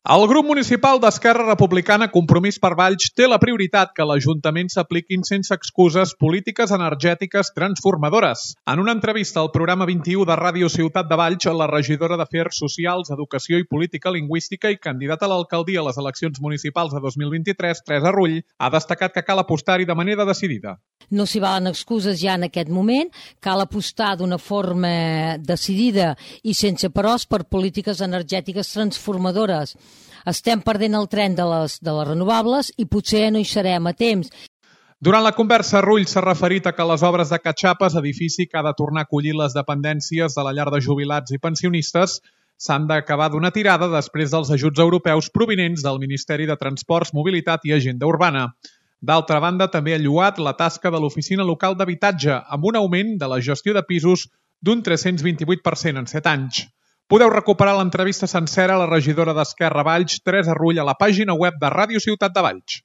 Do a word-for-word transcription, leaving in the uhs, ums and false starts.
El grup municipal d'Esquerra Republicana Compromís per Valls té la prioritat que l'Ajuntament s'apliquin sense excuses polítiques energètiques transformadores. En una entrevista al programa vint-i-u de Ràdio Ciutat de Valls, la regidora d'Afers Socials, Educació i Política Lingüística i candidata a l'alcaldia a les eleccions municipals de dos mil vint-i-tres, Teresa Rull, ha destacat que cal apostar-hi de manera decidida. No s'hi valen excuses ja en aquest moment, cal apostar d'una forma decidida i sense peròs per polítiques energètiques transformadores. Estem perdent el tren de les, de les renovables i potser no hi serem a temps. Durant la conversa, Rull s'ha referit a que les obres de Catxapes, edifici que ha de tornar a acollir les dependències de la llar de jubilats i pensionistes, s'han d'acabar d'una tirada després dels ajuts europeus provinents del Ministeri de Transports, Mobilitat i Agenda Urbana. D'altra banda, també ha lloat la tasca de l'Oficina Local d'Habitatge, amb un augment de la gestió de pisos d'un tres-cents vint-i-vuit per cent en set anys. Podeu recuperar l'entrevista sencera a la regidora d'Esquerra Valls, Teresa Rull, a la pàgina web de Ràdio Ciutat de Valls.